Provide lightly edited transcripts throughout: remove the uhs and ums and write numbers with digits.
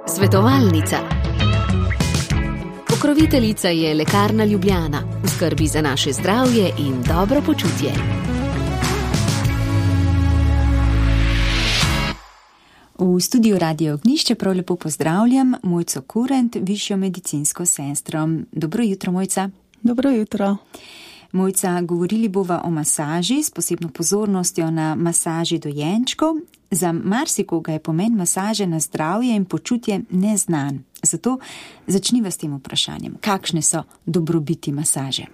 Svetovalnica. Pokroviteljica je Lekarna Ljubljana, v skrbi za naše zdravje in dobro počutje. V studiu Radio Ognjišče prav lepo pozdravljam Mojco Kurent, višjo medicinsko sestro. Dobro jutro, Mojca. Dobro jutro. Mojca, govorili bova o masaži s posebno pozornostjo na masaži dojenčkov. Za marsikoga je pomen masaže na zdravje in počutje neznan. Zato začniva s tem vprašanjem. Kakšne so dobrobiti masaže?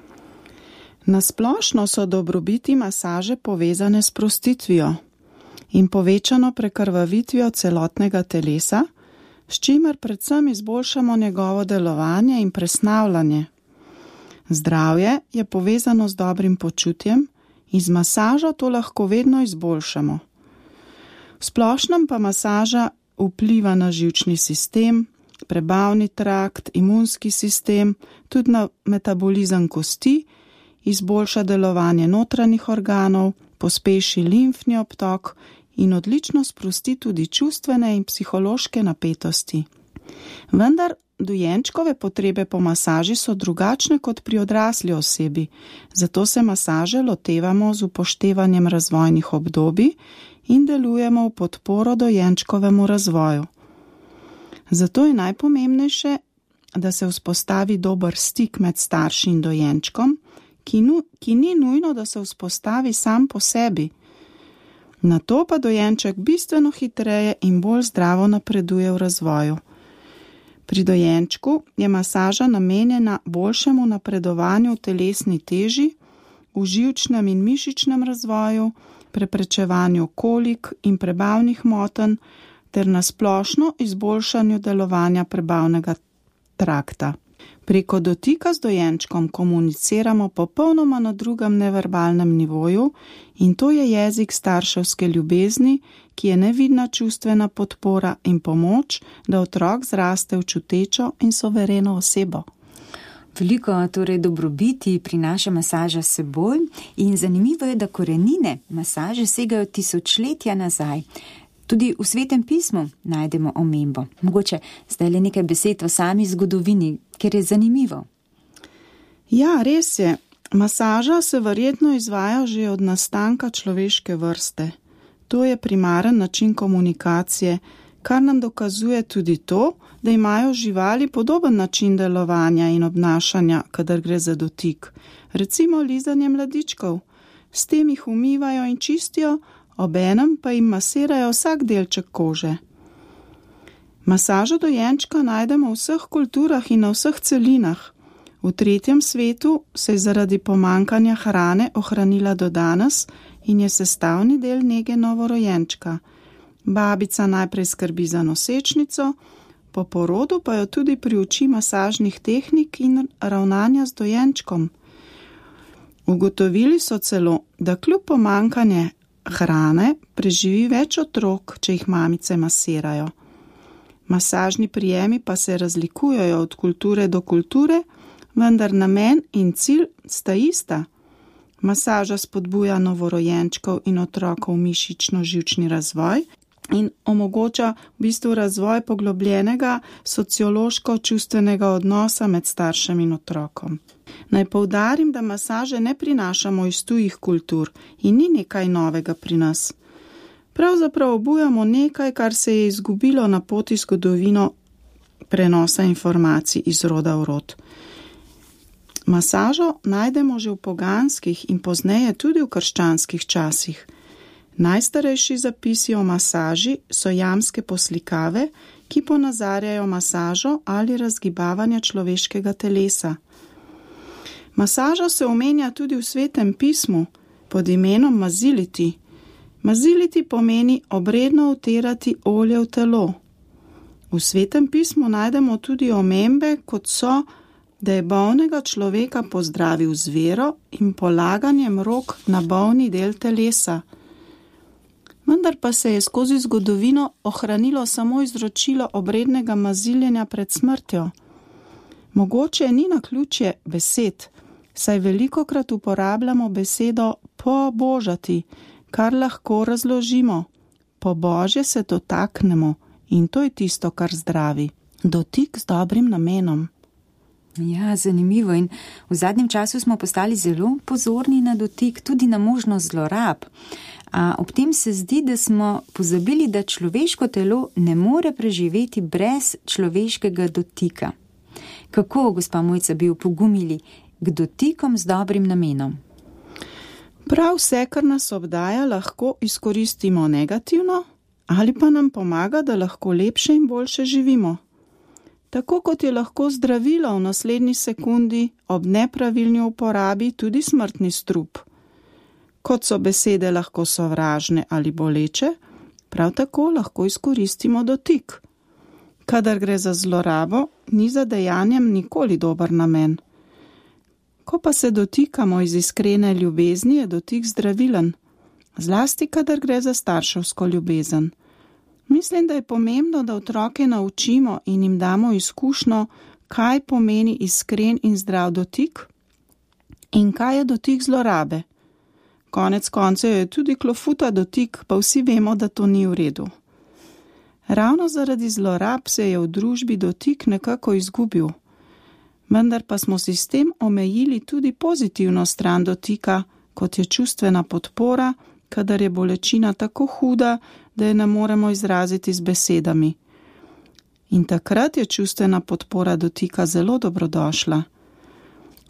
Na splošno so dobrobiti masaže povezane s sprostitvijo in povečano prekrvavitvijo celotnega telesa, s čimer predvsem izboljšamo njegovo delovanje in presnavljanje. Zdravje je povezano z dobrim počutjem in z masažo to lahko vedno izboljšamo. V splošnem pa masaža vpliva na živčni sistem, prebavni trakt, imunski sistem, tudi na metabolizem kosti, izboljša delovanje notranjih organov, pospeši limfni obtok in odlično sprosti tudi čustvene in psihološke napetosti. Vendar dojenčkove potrebe po masaži so drugačne kot pri odrasli osebi, zato se masaže lotevamo z upoštevanjem razvojnih obdobij in delujemo v podporo dojenčkovemu razvoju. Zato je najpomembnejše, da se vzpostavi dober stik med starši in dojenčkom, ki ni nujno, da se vzpostavi sam po sebi. Nato pa dojenček bistveno hitreje in bolj zdravo napreduje v razvoju. Pri dojenčku je masaža namenjena boljšemu napredovanju v telesni teži, v živčnem in mišičnem razvoju, preprečevanju kolik in prebavnih motenj ter na splošno izboljšanju delovanja prebavnega trakta. Preko dotika z dojenčkom komuniciramo popolnoma na drugem neverbalnem nivoju in to je jezik starševske ljubezni, ki je nevidna čustvena podpora in pomoč, da otrok zraste v čutečo in suvereno osebo. Veliko torej dobrobiti prinaša masaža s seboj in zanimivo je, da korenine masaže segajo tisočletja nazaj. Tudi v Svetem pismu najdemo omembo. Mogoče zdaj le nekaj besed o sami zgodovini, ker je zanimivo. Ja, res je. Masaža se verjetno izvaja že od nastanka človeške vrste. To je primaren način komunikacije, kar nam dokazuje tudi to, da imajo živali podoben način delovanja in obnašanja, kadar gre za dotik. Recimo lizanje mladičkov. S tem jih umivajo in čistijo, obenem pa jim masirajo vsak delček kože. Masažo dojenčka najdemo v vseh kulturah in na vseh celinah. V tretjem svetu se je zaradi pomankanja hrane ohranila do danes in je sestavni del nege novorojenčka. Babica najprej skrbi za nosečnico, po porodu pa jo tudi priuči masažnih tehnik in ravnanja z dojenčkom. Ugotovili so celo, da kljub pomankanje hrane preživi več otrok, če jih mamice masirajo. Masažni prijemi pa se razlikujejo od kulture do kulture, vendar namen in cilj sta ista. Masaža spodbuja novorojenčkov in otrokov mišično-živčni razvoj in omogoča v bistvu razvoj poglobljenega sociološko-čustvenega odnosa med staršem in otrokom. Naj poudarim, da masaže ne prinašamo iz tujih kultur in ni nekaj novega pri nas. Pravzaprav obujamo nekaj, kar se je izgubilo na poti zgodovino prenosa informacij iz roda v rod. Masažo najdemo že v poganskih in pozneje tudi v krščanskih časih. Najstarejši zapisi o masaži so jamske poslikave, ki ponazarjajo masažo ali razgibavanje človeškega telesa. Masaža se omenja tudi v Svetem pismu pod imenom maziliti. Maziliti pomeni obredno vtirati olje v telo. V Svetem pismu najdemo tudi omembe, kot so, da je bolnega človeka pozdravil z vero in polaganjem rok na bolni del telesa. Vendar pa se je skozi zgodovino ohranilo samo izročilo obrednega maziljenja pred smrtjo. Mogoče ni naključje besed, saj velikokrat uporabljamo besedo pobožati, kar lahko razložimo. po božje se dotaknemo in to je tisto, kar zdravi. Dotik z dobrim namenom. Ja, zanimivo in v zadnjem času smo postali zelo pozorni na dotik, tudi na možnost zlorab. A ob tem se zdi, da smo pozabili, da človeško telo ne more preživeti brez človeškega dotika. Kako, gospa Mojca, bi opogumili k dotikom z dobrim namenom? Prav vse, kar nas obdaja, lahko izkoristimo negativno ali pa nam pomaga, da lahko lepše in boljše živimo. Tako kot je lahko zdravilo v naslednji sekundi ob nepravilni uporabi tudi smrtni strup. Kot so besede lahko sovražne ali boleče, prav tako lahko izkoristimo dotik. Kadar gre za zlorabo, ni za dejanjem nikoli dober namen. Ko pa se dotikamo iz iskrene ljubezni, je dotik zdravilen, zlasti kadar gre za starševsko ljubezen. Mislim, da je pomembno, da otroke naučimo in jim damo izkušnjo, kaj pomeni iskren in zdrav dotik in kaj je dotik zlorabe. Konec koncev je tudi klofuta dotik, pa vsi vemo, da to ni v redu. Ravno zaradi zlorab se je v družbi dotik nekako izgubil, vendar pa smo si s tem omejili tudi pozitivno stran dotika, kot je čustvena podpora, kadar je bolečina tako huda, da je ne moremo izraziti z besedami. In takrat je čustvena podpora dotika zelo dobrodošla.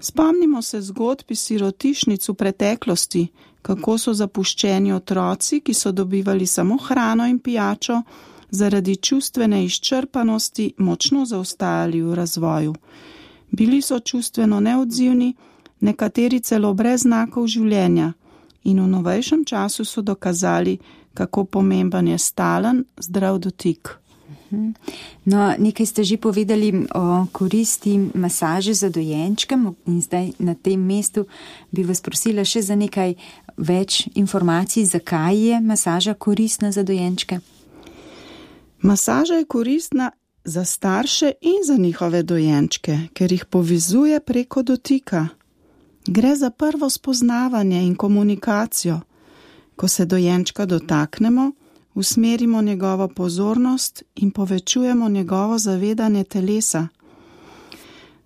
Spomnimo se zgodb iz sirotišnic v preteklosti, kako so zapuščeni otroci, ki so dobivali samo hrano in pijačo, zaradi čustvene izčrpanosti močno zaostajali v razvoju. Bili so čustveno neodzivni, nekateri celo brez znakov življenja in v novejšem času so dokazali, kako pomemben je stalen, zdrav dotik. No, nekaj ste že povedali o koristi masaže za dojenčke in zdaj na tem mestu bi vas prosila še za nekaj več informacij, zakaj je masaža koristna za dojenčke. Masaža je koristna za starše in za njihove dojenčke, ker jih povezuje preko dotika. Gre za prvo spoznavanje in komunikacijo. Ko se dojenčka dotaknemo, usmerimo njegovo pozornost in povečujemo njegovo zavedanje telesa.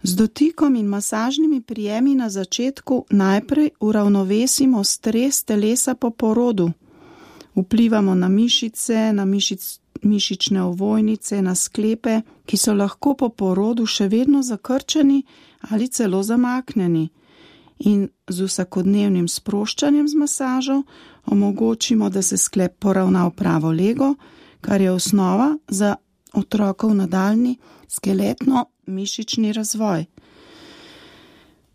Z dotikom in masažnimi prijemi na začetku najprej uravnovesimo stres telesa po porodu. Vplivamo na mišice, na mišične ovojnice, na sklepe, ki so lahko po porodu še vedno zakrčeni ali celo zamaknjeni. In z vsakodnevnim sproščanjem z masažo omogočimo, da se sklep poravna v pravo lego, kar je osnova za otrokov nadaljnji skeletno-mišični razvoj.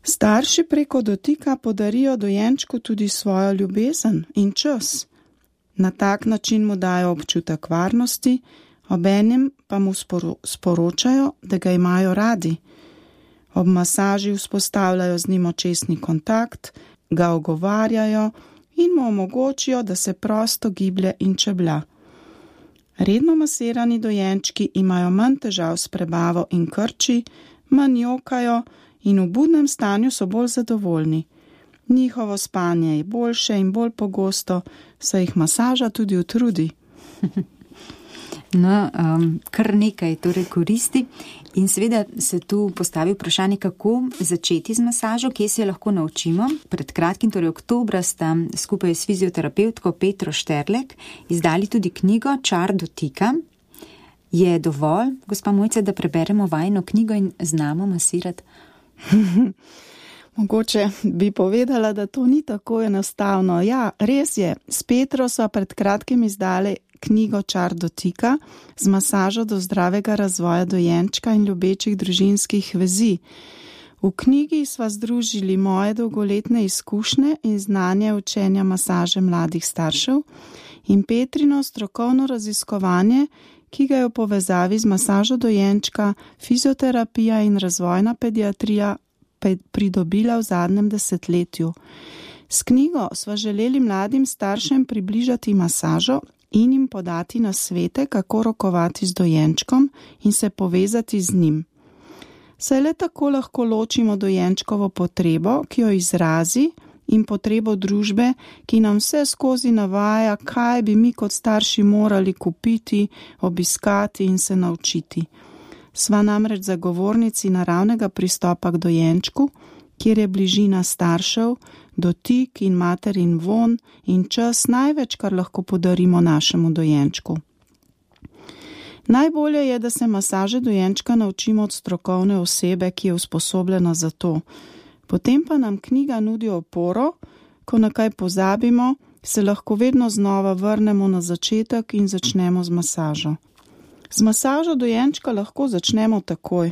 Starši preko dotika podarijo dojenčku tudi svojo ljubezen in čas. Na tak način mu dajo občutek varnosti, obenem pa mu sporočajo, da ga imajo radi. Ob masaži vzpostavljajo z njim očesni kontakt, ga ogovarjajo in mu omogočijo, da se prosto giblje in čeblja. Redno masirani dojenčki imajo manj težav s prebavo in krči, manj jokajo in v budnem stanju so bolj zadovoljni. Njihovo spanje je boljše in bolj pogosto, saj jih masaža tudi utrudi. No, kar nekaj torej koristi in seveda se tu postavi vprašanje, kako začeti z masažo, kje se lahko naučimo. Pred kratkim, torej oktobra, sta skupaj s fizioterapevtko Petro Šterlek izdali tudi knjigo Čar dotika. Je dovolj, gospa Mojca, da preberemo vajino knjigo in znamo masirati? Mogoče bi povedala, da to ni tako enostavno. Ja, res je, s Petro so pred kratkim izdali knjigo Čar dotika z masažo do zdravega razvoja dojenčka in ljubečih družinskih vezi. V knjigi sva združili moje dolgoletne izkušnje in znanje učenja masaže mladih staršev in Petrino strokovno raziskovanje, ki ga je v povezavi z masažo dojenčka, fizioterapija in razvojna pediatrija pridobila v zadnjem desetletju. S knjigo sva želeli mladim staršem približati masažo in jim podati nasvete, kako rokovati z dojenčkom in se povezati z njim. Saj le tako lahko ločimo dojenčkovo potrebo, ki jo izrazi, in potrebo družbe, ki nam vse skozi navaja, kaj bi mi kot starši morali kupiti, obiskati in se naučiti. Sva namreč zagovornici naravnega pristopa k dojenčku, kjer je bližina staršev, dotik in materin von in čas največ, kar lahko podarimo našemu dojenčku. Najbolje je, da se masaže dojenčka naučimo od strokovne osebe, ki je usposobljena za to. Potem pa nam knjiga nudi oporo, ko na kaj pozabimo, se lahko vedno znova vrnemo na začetek in začnemo z masažo. Z masažo dojenčka lahko začnemo takoj.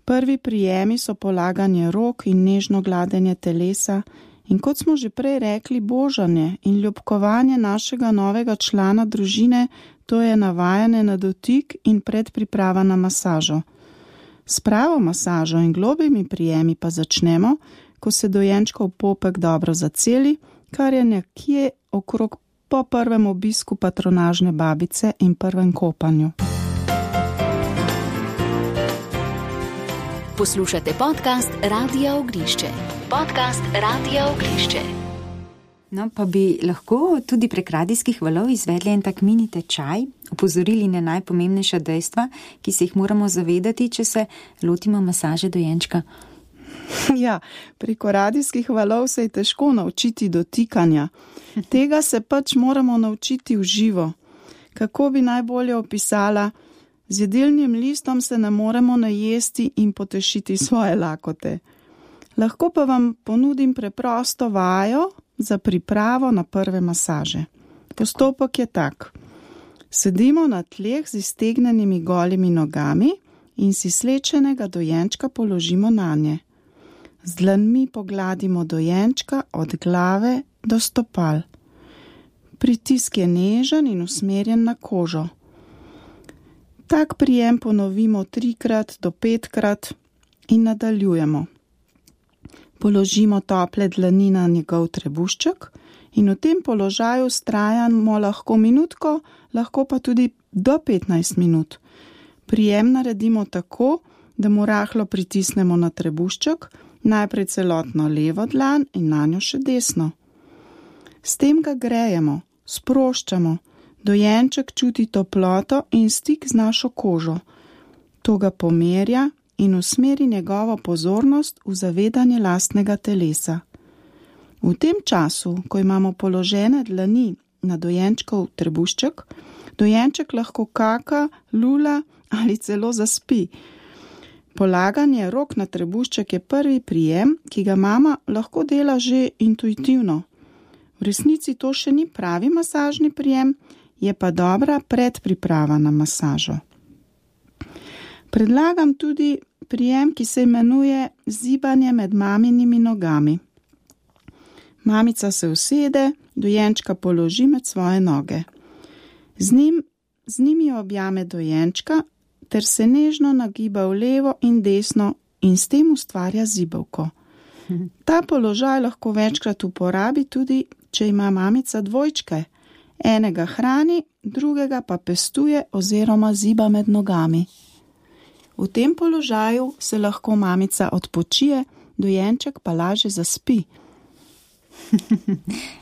Prvi prijemi so polaganje rok in nežno gladenje telesa in kot smo že prej rekli, božanje in ljubkovanje našega novega člana družine, to je navajanje na dotik in predpriprava na masažo. S pravo masažo in globimi prijemi pa začnemo, ko se dojenčkov popek dobro zaceli, kar je nekje okrog po prvem obisku patronažne babice in prvem kopanju. Poslušate podcast Radia Ognišče. Podcast Radia Ognišče. No, pa bi lahko tudi prek radijskih valov izvedli en tak mini tečaj, opozorili na najpomembnejša dejstva, ki se jih moramo zavedati, če se lotimo masaže dojenčka. Ja, preko radijskih valov se je težko naučiti dotikanja. Tega se pač moramo naučiti v živo. Kako bi najbolje opisala? Z jedilnim listom se ne moremo najesti in potešiti svoje lakote. Lahko pa vam ponudim preprosto vajo za pripravo na prve masaže. Postopek je tak. Sedimo na tleh z iztegnenimi golimi nogami in si slečenega dojenčka položimo nanje. Z dlanmi pogladimo dojenčka od glave do stopal. Pritisk je nežen in usmerjen na kožo. Tak prijem ponovimo 3 do 5 in nadaljujemo. Položimo tople dlani na njegov trebušček in v tem položaju vztrajamo lahko minutko, lahko pa tudi do 15 minut. Prijem naredimo tako, da mu rahlo pritisnemo na trebušček, najprej celotno levo dlan in nanjo še desno. S tem ga grejemo, sproščamo, dojenček čuti toploto in stik z našo kožo. To ga pomerja in usmeri njegovo pozornost v zavedanje lastnega telesa. V tem času, ko imamo položene dlani na dojenčkov trebušček, dojenček lahko kaka, lula ali celo zaspi. Polaganje rok na trebušček je prvi prijem, ki ga mama lahko dela že intuitivno. V resnici to še ni pravi masažni prijem, je pa dobra predpriprava na masažo. Predlagam tudi prijem, ki se imenuje zibanje med maminimi nogami. Mamica se usede, dojenčka položi med svoje noge. Z njimi objame dojenčka ter se nežno nagiba v levo in desno in s tem ustvarja zibelko. Ta položaj lahko večkrat uporabi tudi, če ima mamica dvojčke. Enega hrani, drugega pa pestuje oziroma ziba med nogami. V tem položaju se lahko mamica odpočije, dojenček pa lažje zaspi.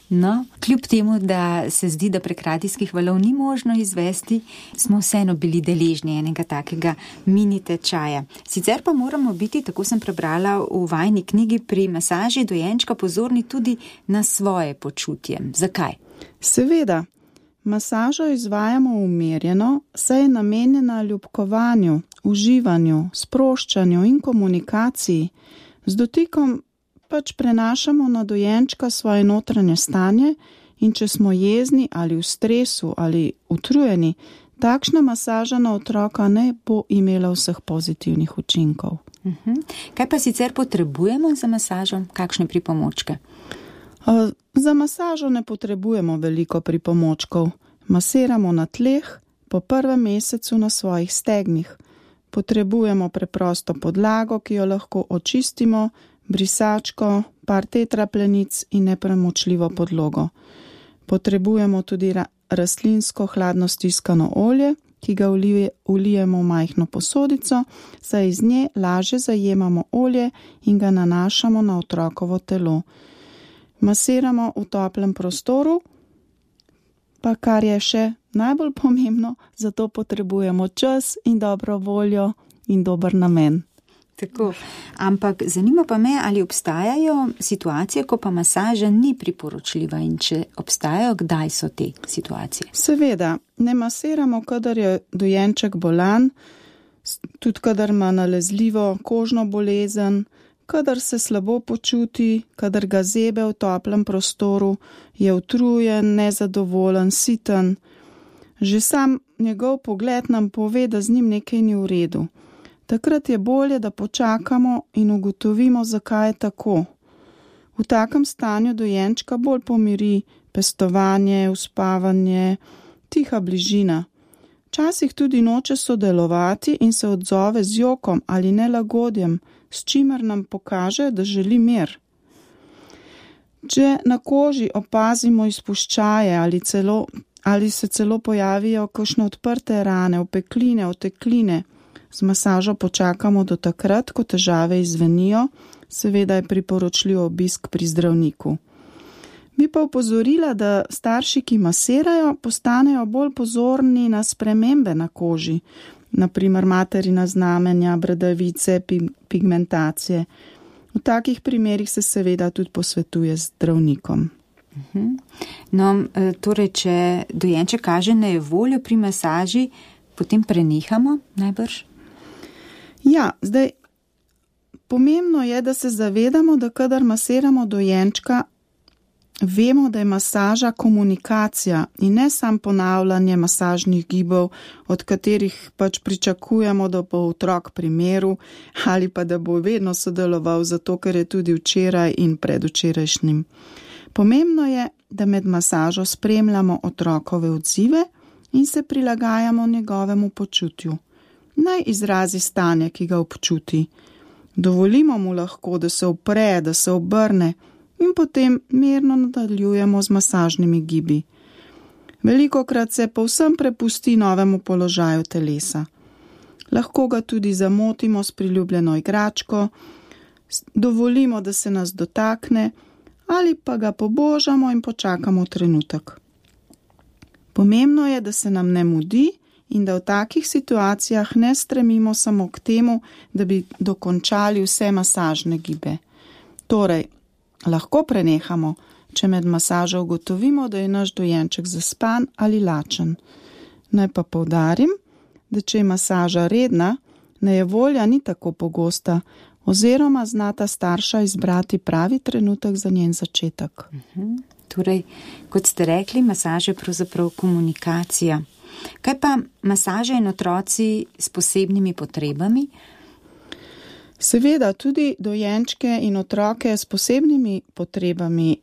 No, kljub temu, da se zdi, da prek radijskih valov ni možno izvesti, smo vseeno bili deležni enega takega mini tečaja. Sicer pa moramo biti, tako sem prebrala v vajni knjigi, pri masaži dojenčka pozorni tudi na svoje počutje. Zakaj? Seveda, masažo izvajamo umirjeno, saj je namenjena ljubkovanju, uživanju, sproščanju in komunikaciji. Z dotikom pač prenašamo na dojenčka svoje notranje stanje in če smo jezni ali v stresu ali utrujeni, takšna masaža na otroka ne bo imela vseh pozitivnih učinkov. Kaj pa sicer potrebujemo za masažo? Kakšne pripomočke? Za masažo ne potrebujemo veliko pripomočkov. Masiramo na tleh, po prvem mesecu na svojih stegnih. Potrebujemo preprosto podlago, ki jo lahko očistimo, brisačko, par tetraplenic in nepremočljivo podlogo. Potrebujemo tudi rastlinsko hladno stiskano olje, ki ga vlijemo v majhno posodico, saj iz nje lažje zajemamo olje in ga nanašamo na otrokovo telo. Masiramo v toplem prostoru, pa kar je še najbolj pomembno, zato potrebujemo čas in dobro voljo in dober namen. Tako, ampak zanima pa me, ali obstajajo situacije, ko pa masaža ni priporočljiva in če obstajajo, kdaj so te situacije? Seveda, ne masiramo, kadar je dojenček bolan, tudi kadar ima nalezljivo kožno bolezen, kadar se slabo počuti, kadar ga zebe v toplem prostoru, je utrujen, nezadovoljen, siten. Že sam njegov pogled nam pove, da z njim nekaj ni v redu. Takrat je bolje, da počakamo in ugotovimo, zakaj je tako. V takem stanju dojenčka bolj pomiri pestovanje, uspavanje, tiha bližina. Včasih tudi noče sodelovati in se odzove z jokom ali nelagodjem, s čimer nam pokaže, da želi mir. Če na koži opazimo izpuščaje ali se celo pojavijo kakšne odprte rane, opekline, otekline, z masažo počakamo do takrat, ko težave izzvenijo, seveda je priporočljiv obisk pri zdravniku. Bi pa opozorila, da starši, ki masirajo, postanejo bolj pozorni na spremembe na koži, naprimer materina znamenja, bradavice, pigmentacije. V takih primerih se seveda tudi posvetuje z zdravnikom. No, torej, če dojenček kaže nejevoljo pri masaži, potem prenehamo najbrž? Ja, zdaj, pomembno je, da se zavedamo, da kadar masiramo dojenčka, vemo, da je masaža komunikacija in ne samo ponavljanje masažnih gibov, od katerih pač pričakujemo, da bo otrok pri miru ali pa da bo vedno sodeloval, zato ker je tudi včeraj in predvčerajšnjim. Pomembno je, da med masažo spremljamo otrokove odzive in se prilagajamo njegovemu počutju. Naj izrazi stanje, ki ga občuti. Dovolimo mu lahko, da se upre, da se obrne in potem mirno nadaljujemo z masažnimi gibi. Velikokrat se povsem prepusti novemu položaju telesa. Lahko ga tudi zamotimo s priljubljeno igračko, dovolimo, da se nas dotakne ali pa ga pobožamo in počakamo trenutek. Pomembno je, da se nam ne mudi in da v takih situacijah ne stremimo samo k temu, da bi dokončali vse masažne gibe. Torej, lahko prenehamo, če med masažo ugotovimo, da je naš dojenček zaspan ali lačen. Naj pa poudarim, da če je masaža redna, nejevolja ni tako pogosta, oziroma znata starša izbrati pravi trenutek za njen začetek. Torej, kot ste rekli, masaža je pravzaprav komunikacija. Kaj pa masaža in otroci s posebnimi potrebami? Seveda, tudi dojenčke in otroke s posebnimi potrebami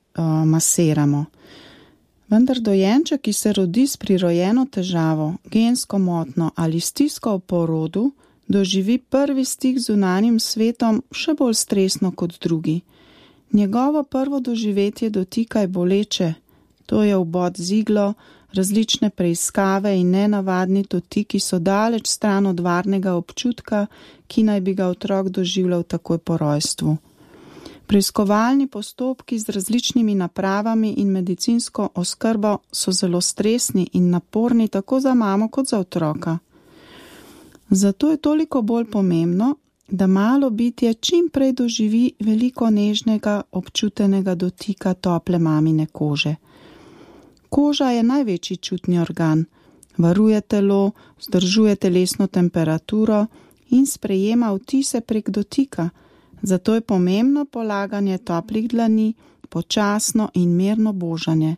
masiramo. Vendar dojenček, ki se rodi s prirojeno težavo, gensko motnjo ali stisko v porodu, doživi prvi stik z zunanjim svetom še bolj stresno kot drugi. Njegovo prvo doživetje dotika je boleče, to je vbod z iglo, različne preiskave in nenavadni dotiki so daleč stran od varnega občutka, ki naj bi ga otrok doživljal takoj po rojstvu. Preiskovalni postopki z različnimi napravami in medicinsko oskrbo so zelo stresni in naporni tako za mamo kot za otroka. Zato je toliko bolj pomembno, da malo bitje čim prej doživi veliko nežnega, občutenega dotika tople mamine kože. Koža je največji čutni organ, varuje telo, vzdržuje telesno temperaturo in sprejema vtise prek dotika, zato je pomembno polaganje toplih dlani, počasno in mirno božanje.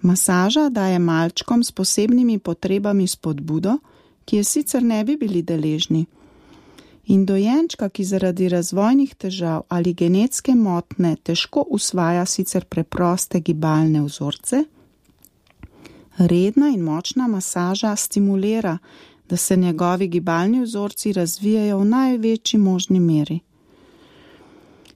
Masaža daje malčkom s posebnimi potrebami spodbudo, ki je sicer ne bi bili deležni. In dojenčka, ki zaradi razvojnih težav ali genetske motnje težko usvaja sicer preproste gibalne vzorce, redna in močna masaža stimulira, da se njegovi gibalni vzorci razvijajo v največji možni meri.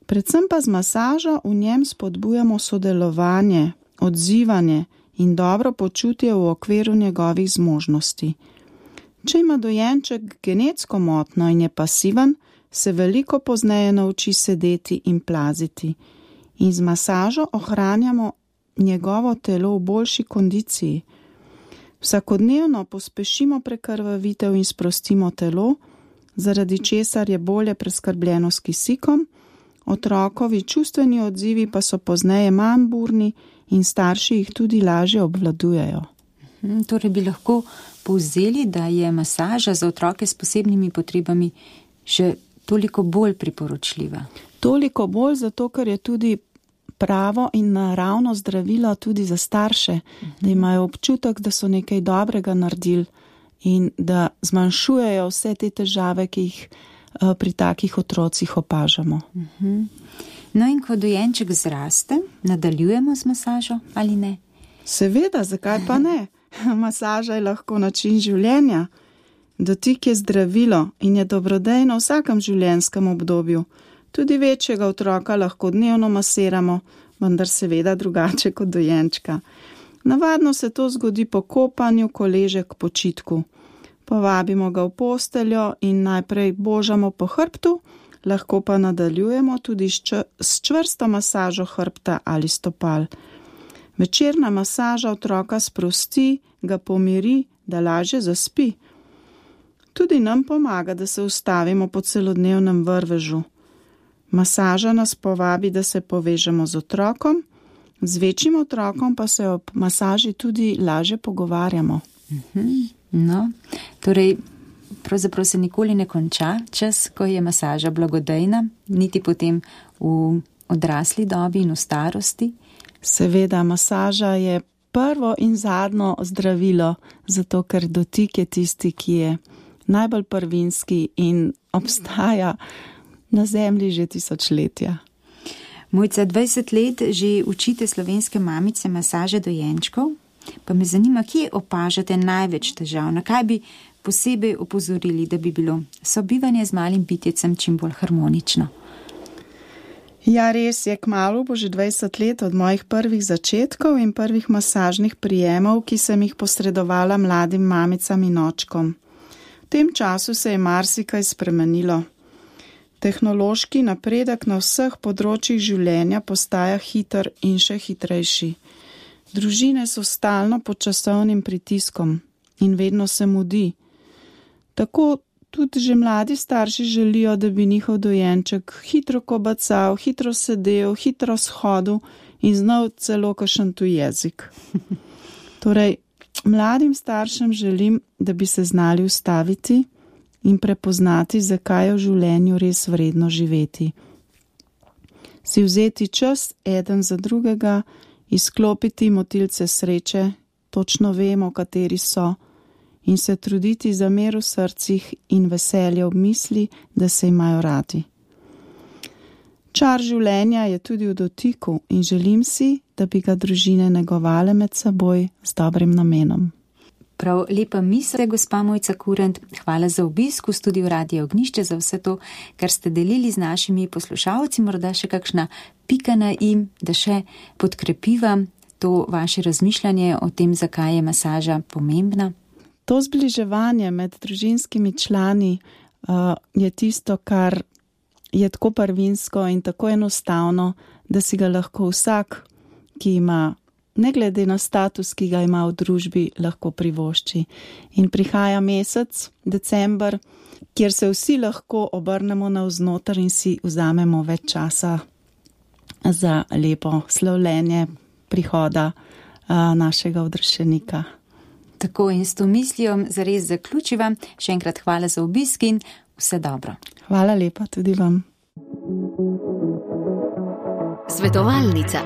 Predvsem pa z masažo v njem spodbujamo sodelovanje, odzivanje in dobro počutje v okviru njegovih zmožnosti. Če ima dojenček genetsko motnjo in je pasiven, se veliko pozneje nauči sedeti in plaziti. in z masažo ohranjamo njegovo telo v boljši kondiciji. Vsakodnevno pospešimo prekrvavitev in sprostimo telo, zaradi česar je bolje preskrbljeno s kisikom, otrokovi čustveni odzivi pa so pozneje manj burni in starši jih tudi lažje obvladujejo. Torej bi lahko povzeli, da je masaža za otroke s posebnimi potrebami še toliko bolj priporočljiva. Toliko bolj zato, ker je tudi pravo in naravno zdravilo tudi za starše, da imajo občutek, da so nekaj dobrega naredili in da zmanjšujejo vse te težave, ki jih pri takih otrocih opažamo. No in ko dojenček zraste, nadaljujemo z masažo ali ne? Seveda, zakaj pa ne? Masaža je lahko način življenja. Dotik je zdravilo in je dobrodejno v vsakem življenjskem obdobju. Tudi večjega otroka lahko dnevno masiramo, vendar seveda drugače kot dojenčka. Navadno se to zgodi po kopanju, ko leže k počitku. Povabimo ga v posteljo in najprej božamo po hrbtu, lahko pa nadaljujemo tudi s čvrsto masažo hrbta ali stopal. Večerna masaža otroka sprosti, ga pomiri, da lažje zaspi. Tudi nam pomaga, da se ustavimo po celodnevnem vrvežu. Masaža nas povabi, da se povežemo z otrokom, z večjim otrokom pa se ob masaži tudi lažje pogovarjamo. No, torej, pravzaprav se nikoli ne konča čas, ko je masaža blagodejna, niti potem v odrasli dobi in v starosti. Seveda, masaža je prvo in zadnjo zdravilo, zato ker dotik je tisti, ki je najbolj prvinski in obstaja na zemlji že tisočletja. Mojca, 20 let že učite slovenske mamice masaže dojenčkov, pa me zanima, kje opažate največ težav, na kaj bi posebej opozorili, da bi bilo sobivanje z malim bitjecem čim bolj harmonično. Ja, res je, kmalu bo že 20 let od mojih prvih začetkov in prvih masažnih prijemov, ki sem jih posredovala mladim mamicam in očkom. V tem času se je marsikaj spremenilo. Tehnološki napredek na vseh področjih življenja postaja hiter in še hitrejši. Družine so stalno pod časovnim pritiskom in vedno se mudi. Tako tudi že mladi starši želijo, da bi njihov dojenček hitro kobacal, hitro sedel, hitro shodil in znal celo kakšen tuj jezik. Torej, mladim staršem želim, da bi se znali ustaviti in prepoznati, zakaj je v življenju res vredno živeti. Si vzeti čas eden za drugega, izklopiti motilce sreče, točno vemo, kateri so, in se truditi za mir v srcih in veselje ob misli, da se imajo radi. Čar življenja je tudi v dotiku in želim si, da bi ga družine negovale med seboj z dobrim namenom. Prav lepa misel, gospa Mojca Kurent, hvala za obisk v studiu Radia Ognjišče, za vse to, kar ste delili z našimi poslušalci, morda še kakšna pika na i, da še podkrepiva to vaše razmišljanje o tem, zakaj je masaža pomembna. To zbliževanje med družinskimi člani je tisto, kar je tako prvinsko in tako enostavno, da si ga lahko vsak, ki ima, ne glede na status, ki ga ima v družbi, lahko privošči. In prihaja mesec, december, kjer se vsi lahko obrnemo navznoter in si vzamemo več časa za lepo slavljenje prihoda našega odrešenika. Tako in s to mislijo zares zaključiva. Še enkrat hvala za obisk in vse dobro. Hvala lepa tudi vam. Svetovalnica.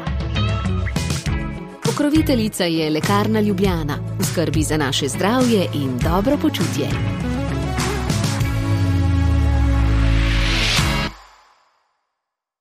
Pokroviteljica je Lekarna Ljubljana. V skrbi za naše zdravje in dobro počutje.